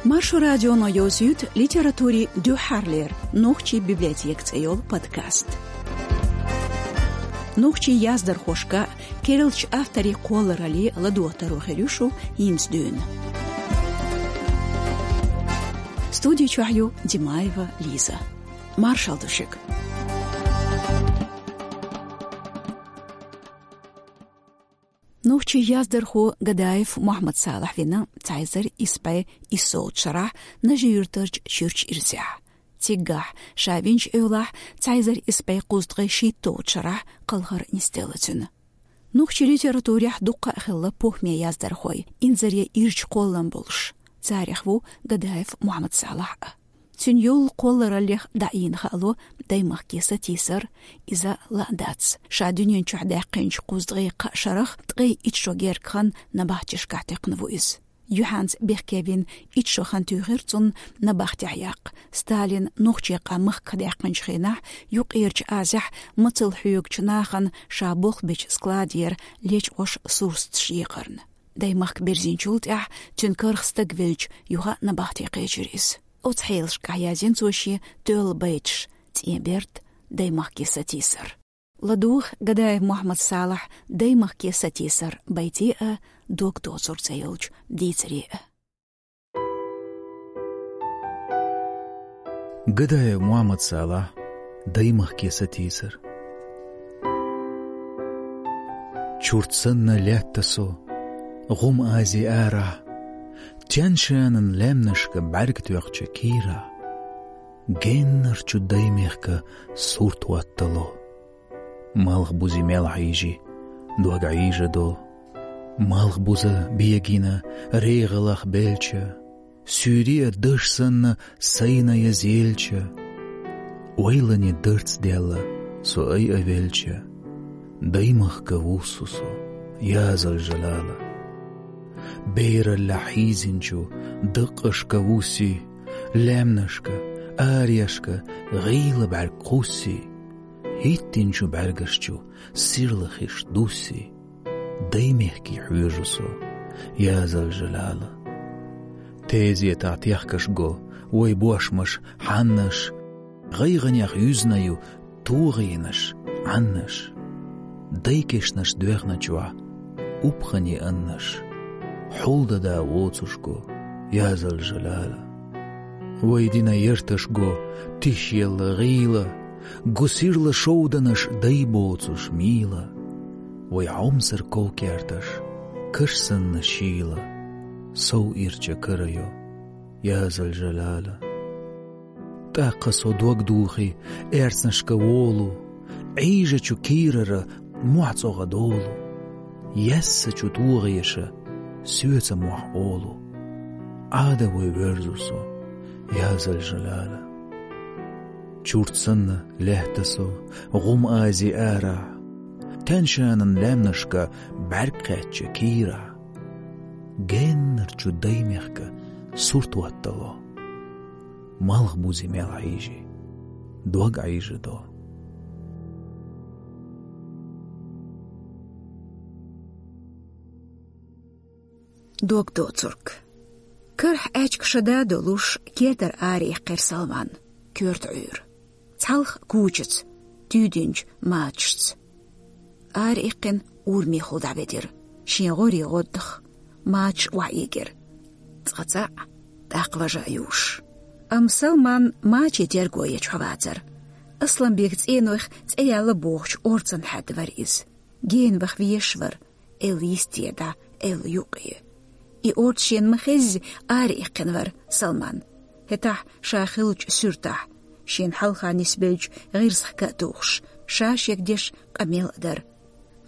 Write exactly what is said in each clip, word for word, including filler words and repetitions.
Маршо радионо йовзуьйту литературин дуьххьарлера «Нохчийн библиотека» цӀе йолу подкаст. Нохчийн яздархошка, керлачу авторийн кхолларалле ладогӀа таро хир ю шу хӀинца дуьйна. Студи чохь ю Димаева Лиза. Маршалла ду шуьга. Нохчийн яздархо Гадаев Мухьаммад-Салахь вина цхьа эзар исс бӀе иссолгӀачу шарахь Нажи-Юьртарчу Чуьрчу ирзехь. Циггахь, ша винчу эвлахь, цхьа эзар исс бӀе кхузткъе шийтталгӀачу шарахь кхалхар нисделла цуьнан. Нохчийн литературехь дуккха а хилла похӀме яздархой, инзаре ирча кхоллам болуш. Царех ву Гадаев Мухьаммад-Салахь а. Цуьнан йолу кхоллараллех дӀаийна хаало даймахке сатийсар, иза лаа дац. Ша дуьнен чохь даьккхинчу кхузткъе кхаа шарах ткъе итт шо герга хан набахтешкахь текхна ву иза. Юьхьанца бехке вина итт шо хан туьйхира цунна набахтехь яккха, Сталина нохчийн къам махках даьккхинчу хенахь, Юккъерчу Азехь мацалла хьоьгучу нахана ша болх бечу складера лечкъош сурсаташ екъарна. Даймахка бирзинчул тӀаьхьа цуьнан карах стаг велча, юха а набахте кхечира иза. Оцу хьелашкахь язйина цо шен тоьлла байташ: «ЦӀен берд», «Даймахке сатийсар». ЛадугӀу Гадаев Мухьаммад-Салахьан «Даймахке сатийсар» байте а, «Дог доцург» цӀе йолчу дийцаре а. Гадаев Мухьаммад-Салахь, «Даймахке сатийсар». Чурт санна лаьтта со, гӀум Ази арахь, Тянь-Шанан лаьмнашка бӀаьрг тоьхча кийрахь, геннарчу даймехка сурт хӀоттало. Малхбузе мел хьийжи, дог Ӏийжадо. Малхбуза бегина регӀалах белча, суьйре а даш санна сайна я зелча, ойлане дарц даьлла со айа велча, даймахка вуссу со, язал жалала. Бераллехь хьийзинчу даккъашка вуссий, лаьмнашка, арешка гӀийла бӀаьрг кхуссий, хӀиттинчу бӀаьргаш чу сирла хиш дуссий, даймехке хьоьжу со, язал жалала. Тезетахь техкаш го вай бошмаш, хьаннаш, гӀайгӀанех юьзна ю тогӀенаш, Ӏаннаш. Дайкешнаш доьхначохь упхане аннаш, хьулдада воцуш го, язал жалала. Вай дина ярташ го тишъелла гӀийла, гу сирла шовданаш дай боцуш мийла. Вай хьомсар ков керташ каш санна шийла, сов ирча кара йо, язал жалала. ТӀаккха со дог духий, аьрцнашка волу, Ӏийжачу кийрара мохь цӀогӀа долу. Яьссачу тогӀеша соьца мохь олу. Ӏада вай воьрзу со, язал жалала. Чурт санна лаьтта со, гӀум Ази арахь, Тянь-Шанан лаьмнашка бӀаьрг кхаьчча кийрахь, геннарчу даймехка сурт хӀоттало. Малхбузе мел хьийжи, дог Ӏийжадо. Дог доцург. Карахь аьчка шада долуш, кертара араиккхира Салман, коьрта Ӏуьйра. Цхьалха кучаца, туьйдинчу мачашца. Араиккхина, урамехула дӀаведира, шен гӀорий гӀоддах мачаш охьаэгира. Цкъа цхьаъ, тӀаккха важа а юуш. Амма Салман мачийн терго ечу хьо вацара. Асланбекан цӀенойх цӀе яьлла бохучу орцанна хьаьдда вара иза. Гена ваха везаш вара, элла йисте дӀа, элла юккъе. И орца шена ма-хезза, араиккхина вара Салман. ХӀетахь ша хиллачу суьртахь, шена хьалха нисбеллачу гӀирсах ка а тухуш, ша шега деш къамел а дара.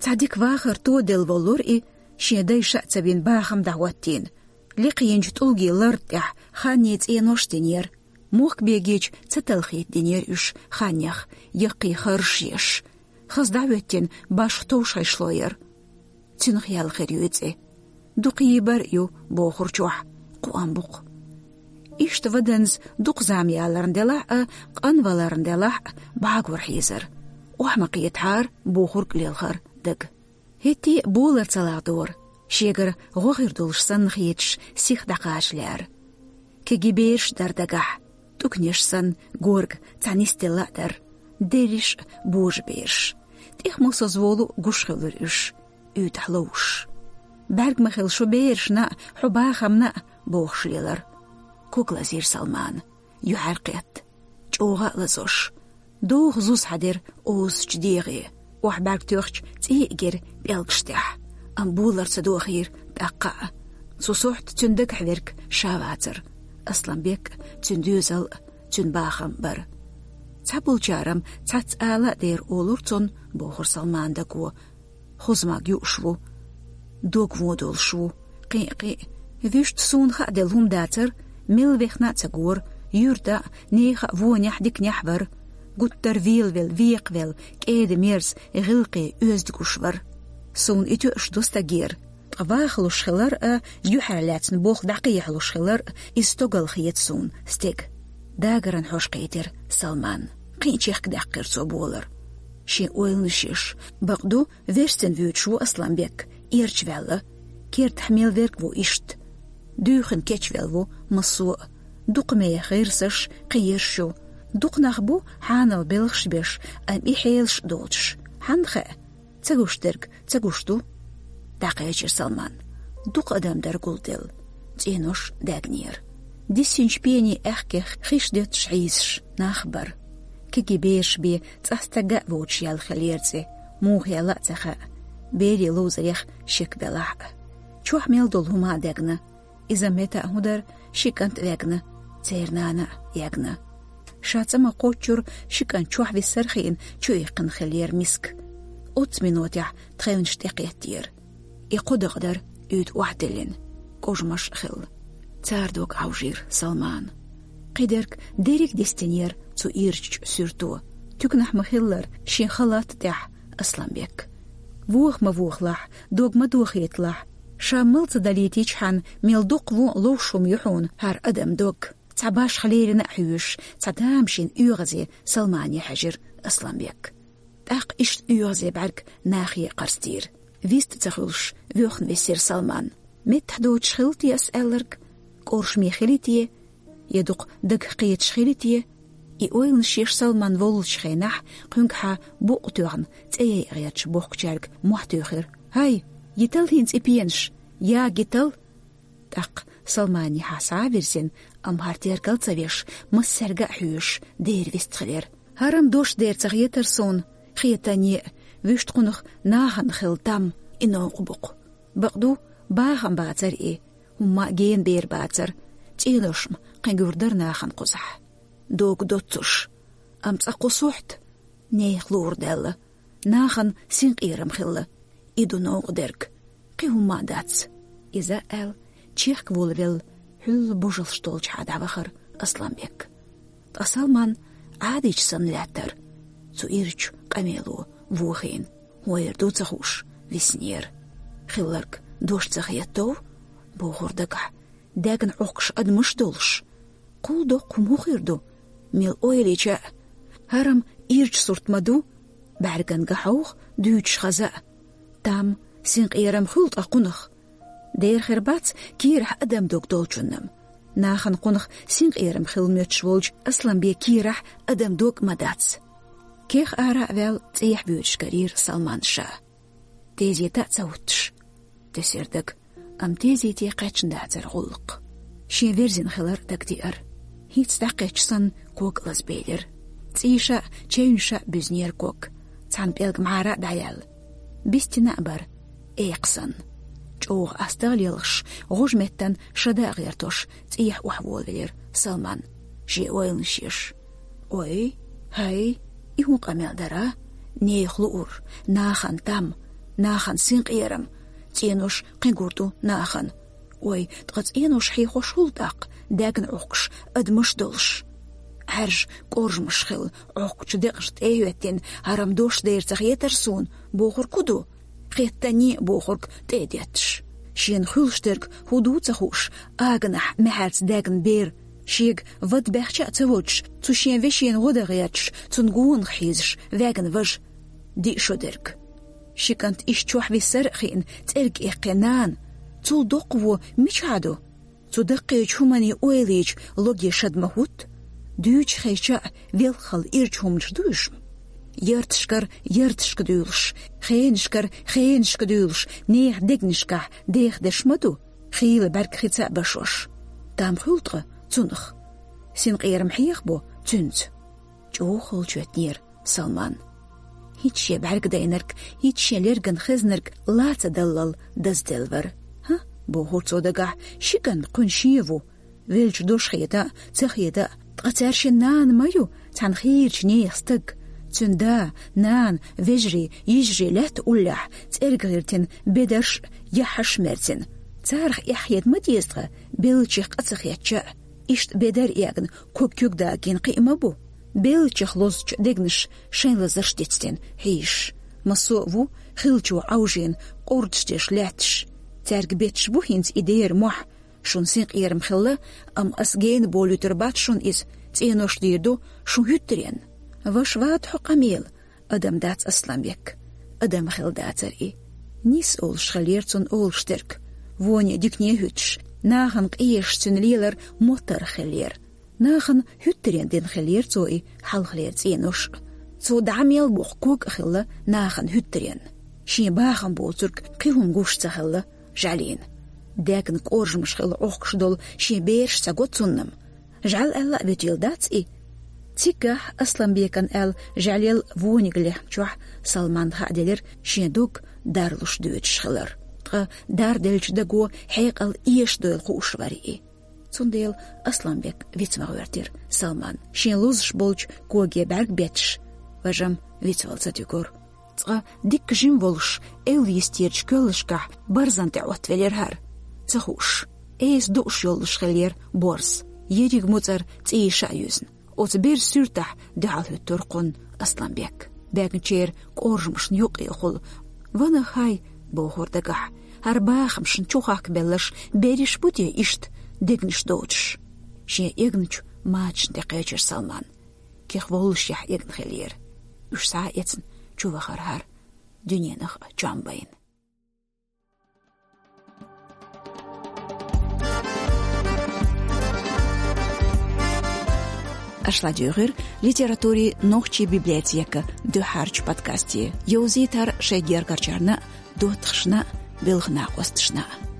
Цхьа дика вахар тоделла воллура и, шен дайша а ца вина бахам дӀахӀоттийна. Лекха йинчу тӀулгийн ларда тӀехь ханнийн цӀенош динера. Мохк бегийча ца талхийта динера уьш ханнех, яккхий харш еш. Хаза дӀахӀоьттина башха товш гӀишло яра. Цуьнах яьлла хир ю и цӀе. Дукха йийбар а ю, бохурчохь, кхоам бу-кх. Иштта ваданза дукха зама яларна делахь а, къанваларна делахь а, бӀагор хьийзара. Охьа ма кхетахьара, бохург лелхара дага. ХӀетте а болар ца лагӀдора, шегара гӀо хир долуш санна хеташ, сиха дӀакхача лаьара. Кегий бераш дара дагахь, тӀуканеш санна горга цхьа нисделла а дара, дерриш а божабераш. ТӀех мосаза волу гуш хилира уьш, уьйтӀахь ловш. «БӀаьрг ма хила шу берашна а, хьо бахамна а», — бохуш лелара. Ког лазийра Салмана, юьхьар кхетта, чӀогӀа а лазош. Доху зуза хьаьдира озучу дегӀе. Охьа бӀаьрг тоьхча, цӀий а гира пӀелгаш тӀехь, амма болар ца дохийра тӀаккха а. Цу сохьта цуьнан дагахь верг ша вацара. Асланбек а, цуьнан доьзал а, цуьнан бахам а бара. «Цхьаболчара-м цхьацца ала а дера олура цунна», — бохура Салмана даго. «Хоза маг юуш ву, дог вон долуш ву. Кхин а, кхин а, вуьшта суна хаа делла хӀума дацара, мел вехна а ца гора, юьртахь а, нехан а вонехь а, диканехь а вара. Гуттар велавелла, векхавелла, кӀеда-мерза, гӀиллакхе, оьзда гуш вара. Суна и тоьуш ду стагера. Ткъа вахалуш хилар а, юьхьар лаьцна болх дӀакхехьалуш хилар а, иза стогал хета суна, стеган». Дагаран хьожа кхийтира Салманна. Кхин а чехкадаьккхира цо болар. Шен ойланаш еш, бакъду, верстина вуьйцуш ву Асланбек, эрча ваьлла. Кертахь мел верг ву иштта. Дуьйхина кечвелла ву массо а. Дукха меха гӀирсаш, кхин ерш ю. Дукха нах бу хьанал белхаш беш, амма и хьелаш а доцуш. Хьанна хаьа? Ца гуш дерг ца гуш ду. ДӀакхечира Салман. Дукха адам дара гулделла. ЦӀенош даьгнера. Диссинчу пенийн аьхкех хиш доьттуш хьийзаш нах бара. Кегий бераш бен цӀа стаг а воцуш яьлла хиллера цӀе, муха яьлла а ца хаьа. Берийн ловзарех шек белахь а. Чохь мел долу хӀума а даьгна. Иза метта а хӀун дара, ши кӀант а ваьгна, церан нана а ягна. Ша цӀа ма кхоччура, ши кӀант чохь висар а хиъна, чуиккхина хиллера миска. Оццу минотехь тхевнаш тӀекхеттера. И кхо дакъа дара уьйтӀа охьадиллина, кӀожамаш а хилла. Цара дог Ӏовжийра Салмана. Кхидерг дерриг а дистинера цу ирчачу суьрто. Туьканахь ма-хиллара, шен халат а тӀехь, Асланбек. Воха ма вохалахь, дог ма дохийталахь. Ша мала ца далийтичхьана, мел дукха вон а ловш хӀума ю хьуна хӀара адам дог. Цхьа башха лерина а хьоьжуш, цхьа тамашийна оьгӀазе Салмане хьаьжира Асланбек. ТӀаккха иштта оьгӀазе бӀаьрг нахе а кхарстийра. Вист а ца хуьлуш, воьхна висира Салман. Меттахь доцуш хилла те ас аьлларг? КӀоршаме хили те? Я дукха дагах кхеташ хили те? И ойланаш еш Салман воллучу хенахь, кхуьнгахьа букъ тоьхна, цӀе яйа гӀерташ бохкучаьрга мохь туьйхира: «ХӀай, йитал хӀинца и пенаш! Я, йитал!» ТӀаккха Салманехьа схьа а вирзина, амма хӀара тергал ца веш, массаьрга а хьоьжуш, дера вистхилира. ХӀара-м дош дера ца хетара суна, хетане а, вуьшта кхунах нахана хилла там, и новкъа бу-кх. Бакъду, бахам бацара и, хӀумма а гена бер бацара, цӀенош-м кхин гур дара нахана кхузахь. Дог доццуш, амма цкъа кху сохьта, нехан луур даьлла, нахана синкъерам хилла, и ду новкъа дерг, кхин хӀумма а дац. Иза аьлла, чехка волавелла, хьуьлла божалш долчухьа дӀавахара Асланбек. Ткъа Салман Ӏадийча санна лаьттара. Цу ирчу къамело вохийна, хӀун эр ду ца хууш, виснера. Хилларг дош ца хетов, бохура дагахь, даьгна Ӏохкуш адамаш долуш. Кхул доккха хӀума хӀун хир ду? Мел ойла йича а, хӀара-м ирча сурт ма ду, бӀаьрган гахьовха дуьйцуш хаза а. Там, синкъерам хуьлу ткъа кхунах. Дера хир бац кийрахь адам дог долчунна-м. Нахана кхунах синкъерам хилла моьттуш волчу Асланбекан кийрахь адам дог а ма дац. Кех ара а ваьлла, цӀехьа воьдуш карийра Салман ша. Тезета а ца хӀуттуш, тесира дага, амма тезете кхаьчна дацара гӀуллакх. Шен верзина хилар дагадеара. ХӀинца дӀакхаьчча санна, ког лазабелира. ЦӀийша а, чевнеша а буьзнера ког. Цхьана пӀелг мӀара а дӀаяьлла. Бистина а бара, экха санна. ЧӀогӀа астагӀа лелхаш, гӀожа меттан шада а гӀертош, цӀехьа охьаволавелира Салман, шен ойланаш еш. Ой, хӀай, и хӀун къамел дара? Нехан луур, нахана там, нахана синкъерам, цӀенош кхин гур ду нахана. Ой, ткъа цӀенош хьехош хӀул тӀаккха, даьгна Ӏохкуш адамаш долуш. Ӏаьржа кӀоржамаш хилла, Ӏохкучу декъашна тӀе а хӀоьттина, хӀара-м дош дера ца хетара суна, бохург хӀун ду? Хеттане а бохург тӀе а детташ. Шена хуьлуш дерг хӀун ду ца хууш, аганахь маьхьарца даьгна бер, шега вад баьхча а ца водуш, цу шен вешина гӀо дан гӀерташ, цунна гонах хьийзаш, ваьгна важа. Диъ шо дерг. Ши кӀант иштта чохь висар а хиъна, цӀерга эккхе нана. Цул доккхаво мичахь ду? Цу даккхийчу хӀуманийн ойла йича логе шад ма хӀутту? Дуьйцуш хезча а, велхалла ирча хӀуманаш ду уьш? Ярташкара ярташка дуьйлуш, хенашкара хенашка дуьйлуш, нехан дегнашкахь деха деш ма ду, хийла бӀаьрг хица а башош. Там хуьлу ткъа цунах? Синкъерам хьехабо цуьнца? ЧӀогӀа холчу хӀоьттинера Салман. ХӀинца шен бӀаьрг дайнарг, хӀинца шен лерган хезнарг ла ца даллал дазделла вара. «ХӀа, — бохура цо дагахь, — ши кӀант кхуьнан шен ву. Веллачу дош хета а, ца хета а, ткъа цаьршиннан нана ма ю цхьана хийрачу нехан стаг. Цуьнан да, нана, вежарий, йижарий лаьтта уллехь, цӀерга гӀиртина бедарш а, яххьаш а мерцина. Царах эхь хета ма деза тхан, беллачех къа ца хетча а. Иштта бедар эгна, ког куьг дагийна кхин а ма бу. Беллачех лозучу дегнаша шайн лазарш дицдина хьийзаш. Массо а ву хиллачо Ӏовжийна къурдаш деш лаьтташ. Цаьрга бетташ бу хӀинца и дера мохь. Шуна синкъерам хилла, амма ас гена болуьйтур бац шуна иза, цӀенош дийр ду шун хӀуьттаренна. Ваша вац хьо къамела, адам дац Асланбек. Адам хилла дацара и. Нис олуш хиллера цунна олуш дерг. Воне дикане а хӀуьттуш, нахана къежаш цуьнан лелар моттаргӀа хиллера. Нахана хӀуьттаренна дина хиллера цо и хьалхалера цӀенош а. Цо дӀа мел боккху ког а хилла нахана хӀуьттаренна. Шен бахам боцург кхин хӀума гуш ца хилла жӀаьлина. Даьгна кӀоржамаш хилла Ӏохкуш долу шен бераш ца го цунна-м. ЖӀаьла аьлла а вуьтийла дац и? Циггахь Асланбекан аьлла жӀаьлел вониг лехначохь Салманна хаа делира шен дог дарлуш доьдуш хилар. Ткъа дарделлачу даго хьекъал эшадойла хууш вара и. Цундела Асланбек виц ма гӀоьртира Салман. Шен лозуш болчу коге бӀаьрг бетташ, важам вицвала ца туьгура. Цкъа дикка жима волуш, эвла йистерчу коьллашкахь барзан тӀе Ӏоттавелира хӀара. Ца хууш, эса дууш йолуш хиллера борз, ерриг муцӀар цӀийша а юьзна. Оцу берзан суьртахь дуьхьал хӀуьттура кхунна Асланбек. Баьгначеран кӀоржамашна юккъехула: «Ванах хьай», — бохура дагахь, — «хӀара бахамашна чу хахкабелларш берриш бу те иштта дегнаш доцуш?» Шен эгначу мачашна тӀе кхечира Салман. Кех воллушехь эгна хиллера. Уьш схьа а эцна, чу вахара хӀара, дуьненах а чам байна. Аша ладуьйгӀира литературин нохчийн библиотекан дуьххьарчу подкасте. Йовзийтар шайн гергарчарна а, доттагӀашна а, белхан накъосташна а.